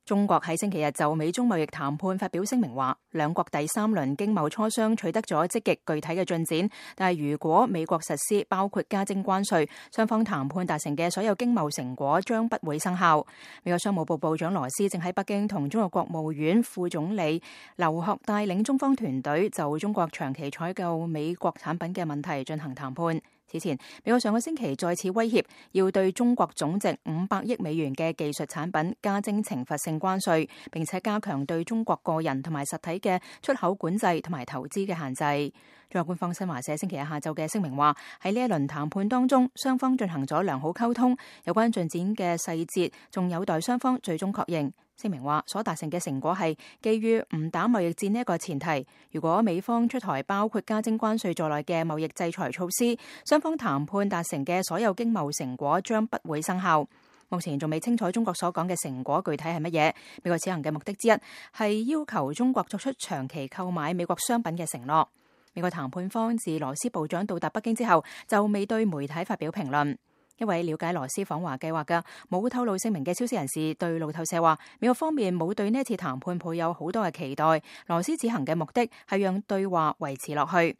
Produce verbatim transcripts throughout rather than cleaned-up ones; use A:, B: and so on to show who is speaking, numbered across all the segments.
A: 中國喺星期日就美中貿易談判發表聲明話，兩國第三輪經貿磋商取得咗積極具體嘅進展，但係如果美國實施包括加徵關稅，雙方談判達成嘅所有經貿成果將不會生效。美國商務部部長羅斯正喺北京同中國國務院副總理劉鶴帶領中方團隊就中國長期採購美國產品嘅問題進行談判。此前，美國上個星期再次威脅要對中國總值五百億美元嘅技術產品加徵懲罰性關稅，並且加強對中國個人同埋實體嘅出口管制同埋投資嘅限制。中國官方新華社星期日下晝嘅聲明話，喺呢一輪談判當中，雙方進行咗良好溝通，有關進展嘅細節仲有待雙方最終確認。聲明話，所達成嘅成果係基於唔打貿易戰呢一個前提，如果美方出台包括加徵關稅在內嘅貿易制裁措施，雙方談判達成嘅所有經貿成果將不會生效。目前仲未清楚中國所講嘅成果具體係乜嘢。美國此行嘅目的之一係要求中國作出長期購買美國商品嘅承諾。美國談判方自羅斯部長到達北京之後，就未對媒體發表評論。一位了解羅斯訪華計劃嘅冇透露姓名嘅消息人士對路透社話，美國方面冇對呢一次談判抱有好多嘅期待，羅斯此行嘅目的係讓對話維持落去。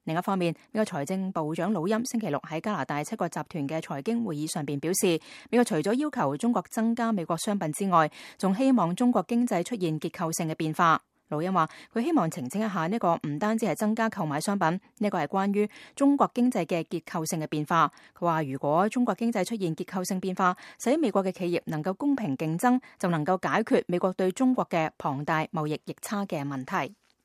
A: 另一方面，美國財政部長魯欽星期六喺加拿大七國集團嘅財經會議上邊表示，美國除咗要求中國增加美國商品之外，仲希望中國經濟出現結構性嘅變化。魯欽話，佢希望澄清一下呢個唔單止係增加購買商品，呢個係關於中國經濟嘅結構性嘅變化。佢話，如果中國經濟出現結構性變化，使美國嘅企業能夠公平競爭，就能夠解決美國對中國嘅龐大貿易逆差嘅問題。